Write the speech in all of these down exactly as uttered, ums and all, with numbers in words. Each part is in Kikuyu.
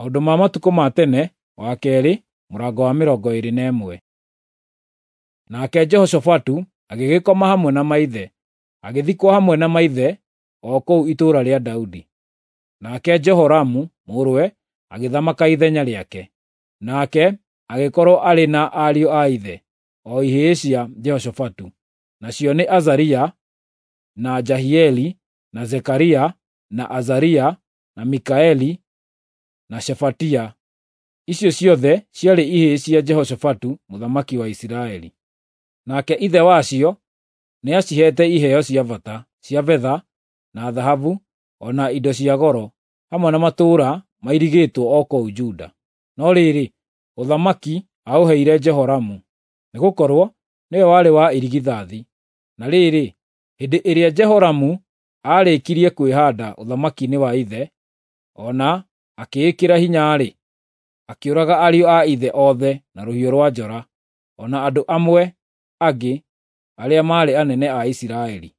Maũndũ ma Matukũ ma Tene wa kerĩ mũrango wa mĩrongo ĩĩrĩ na ĩmwe. Nake Jehoshafatu agĩgĩkoma hamwe na maithe, agĩthikwo hamwe na maithe o kũu itũũra rĩa Daudi. Nake Jehoramu mũrũwe agĩthamaka ithenya rĩake. Nake agĩkorwo arĩ na ariũ a ithe, o ihĩĩ cia Jehoshafatu, nacio nĩ Azaria, na Jahieli, na Zekaria, na Azaria, na Mikaeli, na Shefatia. Icio ciothe ciarĩ ihĩĩ cia Jehoshafatu mũthamaki wa Isiraeli. Nake ithe wacio nĩaciheete iheo cia bata, cia betha, na thahabu, o na indo cia goro, hamwe na matũũra mairigĩtwo o kũu Juda. No rĩrĩ, ũthamaki aũheire Jehoramu, nĩgũkorwo nĩwe warĩ wa irigithathi. Na rĩrĩ, hĩndĩ ĩrĩa Jehoramu aarĩkirie kwĩhaanda ũthamaki-inĩ wa ithe, o na akĩĩkĩra hinya-rĩ, akĩũraga ariũ a ithe othe na rũhiũ rwa njora, o na andũ amwe angĩ arĩa maarĩ anene a Isiraeli.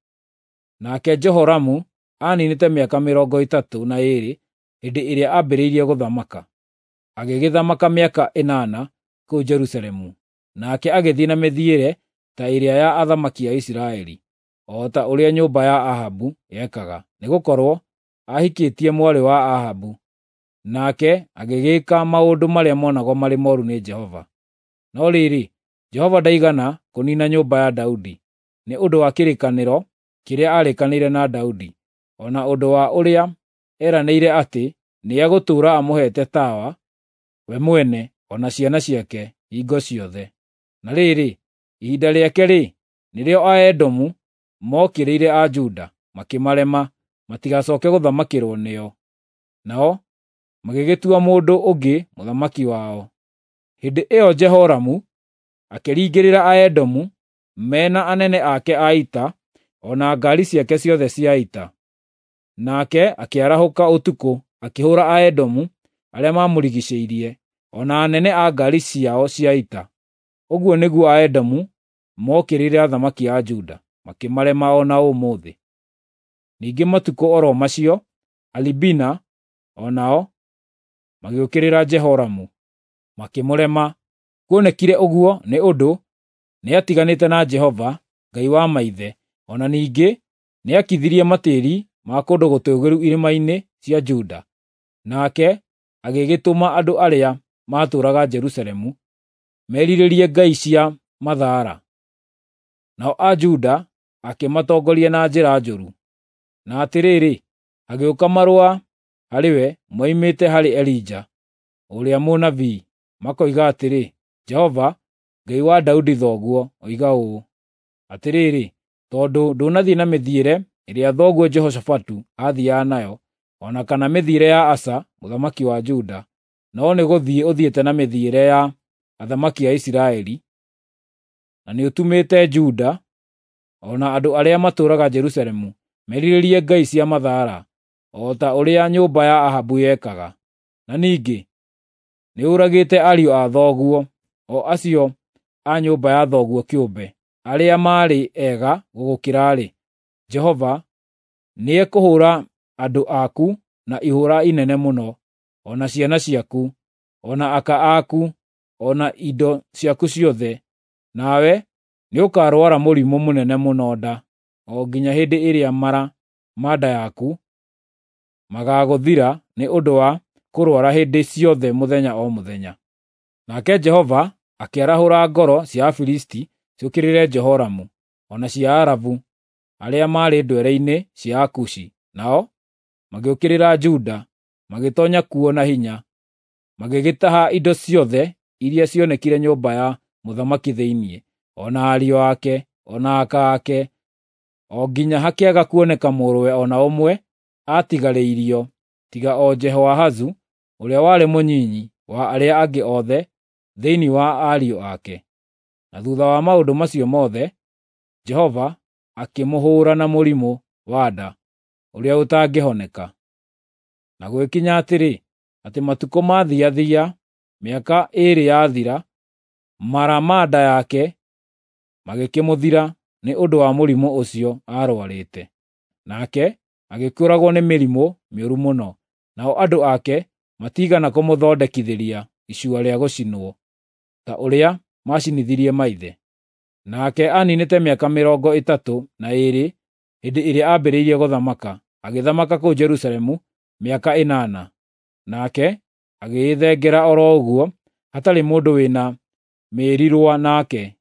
Nake Jehoramu aaniinĩte mĩaka mĩrongo ĩtatũ na ĩĩrĩ hĩndĩ ĩrĩa aambĩrĩirie gũthamaka. Agĩgĩthamaka mĩaka ĩnana kũu Jerusalemu. Nake agĩthiĩ na mĩthiĩre ta ĩrĩa ya athamaki a Isiraeli, o ta ũrĩa nyũmba ya Ahabu yekaga, nĩgũkorwo aahikĩtie mwarĩ wa Ahabu. Nake agĩgĩĩka maũndũ marĩa monagwo marĩ mooru nĩ Jehova. No rĩrĩ, Jehova ndaigana kũniina nyũmba ya Daudi, nĩ ũndũ wa kĩrĩkanĩro kĩrĩa aarĩkanĩire na Daudi, o na ũndũ wa ũrĩa eranĩire atĩ nĩegũtũũra amũheete tawa, we mwene o na ciana ciake hingo ciothe. Na rĩrĩ, ihinda rĩake-rĩ, nĩrĩo Aedomu mookĩrĩire Ajuda, makĩmarema matigacooke gũthamakĩrwo nĩo. Nao magĩgĩtua mũndũ ũngĩ mũthamaki wao. Hĩndĩ ĩyo Jehoramu akĩringĩrĩra Aedomu me na anene ake a ita o na ngaari ciake ciothe cia ita. Nake akĩarahũka ũtukũ akĩhũũra Aedomu arĩa maamũrigiicĩirie, o na anene a ngaari ciao cia ita. Ũguo nĩguo Aedomu mookĩrĩire athamaki a Juda, makĩmarema o na ũmũthĩ. Ningĩ matukũ o ro macio, Alibina o nao magĩũkĩrĩra Jehoramu, makĩmũrema. Kuonekire ũguo nĩ ũndũ nĩatiganĩte na Jehova, Ngai wa maithe, o na ningĩ nĩakithirie matĩĩri ma kũndũ gũtũũgĩru irĩma-inĩ cia Juda. Nake agĩgĩtũma andũ arĩa maatũũraga Jerusalemu merirĩrie ngai cia mathaara. Nao Ajuda akĩmatongoria na njĩra njũru. Na atĩrĩrĩ, hagĩũka marũa harĩ we moimĩte harĩ Elija ũrĩa mũnabii, makoiga atĩrĩ, “Jehova, Ngai wa Daudi thoguo, oiga ũũ: Atĩrĩrĩ, tondũ ndũnathiĩ na mĩthiĩre ĩrĩa thoguo Jehoshafatu aathiiaga nayo, o na kana mĩthiĩre ya Asa mũthamaki wa Juda, no nĩgũthiĩ ũthiĩte na mĩthiĩre ya athamaki a Isiraeli, na nĩũtũmĩte Juda o na andũ arĩa matũũraga Jerusalemu merirĩrie ngai cia mathaara, o ta ũrĩa nyũmba ya Ahabu yekaga. Na ningĩ nĩũragĩte ariũ a thoguo, o acio a nyũmba ya thoguo kĩũmbe, arĩa maarĩ ega gũgũkĩra-rĩ, Jehova nĩekũhũũra andũ aku na ihũũra inene mũno, o na ciana ciaku, o na aka aku, o na indo ciaku ciothe, nawe nĩũkarwara mũrimũ mũnene mũno nda, o nginya hĩndĩ ĩrĩa mara ma nda yaku magaagũthira nĩ ũndũ wa kũrũara hĩndĩ ciothe mũthenya o mũthenya.” Nake Jehova akĩarahũra ngoro cia Afilisti ciũkĩrĩre Jehoramu, o na cia Arabu arĩa maarĩ ndwere-inĩ cia Akushi, nao magĩũkĩrĩra Juda, magĩtoonya kuo na hinya, magĩgĩtaha indo ciothe iria cionekire nyũmba ya mũthamaki thĩinĩ, o na ariũ ake, o na aka ake, o nginya hakĩaga kuoneka mũrũwe o na ũmwe aatigarĩirio, tiga o Jehoahazu ũrĩa warĩ mũnyinyi wa arĩa angĩ othe thĩinĩ wa ariũ ake. Na thuutha wa maũndũ macio mothe, Jehova akĩmũhũũra na mũrimũ wa nda ũrĩa ũtangĩhoneka. Na gũgĩkinya atĩrĩ, atĩ matukũ maathiathia, mĩaka ĩĩrĩ yathira, mara ma nda yake magĩkĩmũthira nĩ ũndũ wa mũrimũ ũcio aarũarĩte. Nake agĩkĩũragwo nĩ mĩrimũ mĩũru mũno, nao andũ ake matiigana kũmũthondekithĩria icua rĩa gũcinwo, ta ũrĩa maacinithirie maithe. Nake aniinĩte mĩaka mĩrongo ĩtatũ na ĩĩrĩ hĩndĩ ĩrĩa aambĩrĩirie gũthamaka, agĩthamaka kũu Jerusalemu mĩaka ĩnana. Nake agĩĩthengera o ro ũguo, hatarĩ mũndũ wĩ na mĩĩrirũa nake,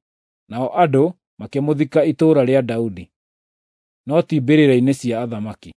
nao andũ makĩmũthika itũũra rĩa Daudi, no ti mbĩrĩra-inĩ cia athamaki.